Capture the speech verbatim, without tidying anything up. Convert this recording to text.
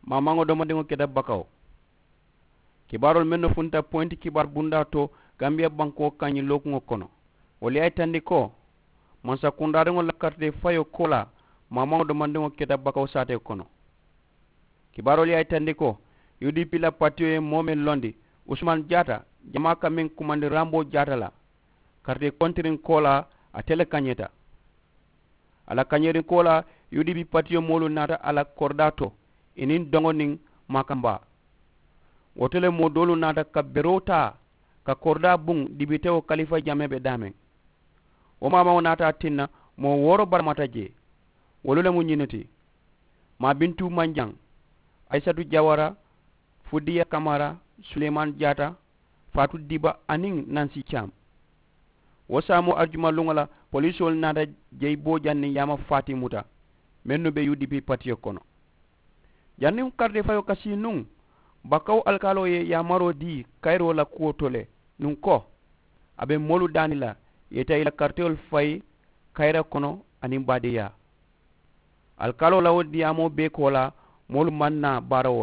Maamaŋo domandiŋo keta bakawo. Kibaaroolu mennu funta poyinti kibaari bundaa to, gambiya bankoo kaŋ ñiŋ lookuŋo kono, wolu ye a yitandi ko mansa kundaariŋolu la karitee fayoo koolaa, maamaŋo domandiŋo keta bakawo saatee kono. Kibaaroolu ye a yitandi ko u d p la patiyo ye moo meŋ londi, usumani jaata, jamaa ka meŋ kumandi ramboo jaata la, karitee kontiriŋ koolaa, ate le kañeta. A la kañeeriŋ koolaa, u d p patiyo moolu naata a la koridaa to, i niŋ doŋo niŋ maakambaa. Wo to le moo doolu naata ka beroo taa, ka koridaa buŋ dibitewo kalifa jamee be daameŋ. Wo maamaŋo naata a tinna moo wooro baramata jee. Wolu le mu ñinnu ti: maabintu manjaŋ, ayisatu jawara, fudiya kamara, suleymani jaata, faatu diba aniŋ nansi cam. Wo saamoo arijuma luŋo la, polisoolu naata jeyi boojaŋ niŋ yaama faati muta, mennu be u d p patiyo kono. Janniŋ karitee fayoo ka sii nuŋ, bakawo alikaaloo ye yaamaroo dii kayiroo la kuwo to le nuŋ ko a be moolu daani la, ye taa i la karitewolu fayi kayira kono aniŋ baadeeyaa. Alikaaloo la wo diyaamoo bee koolaa, moolu maŋ naa baara wo.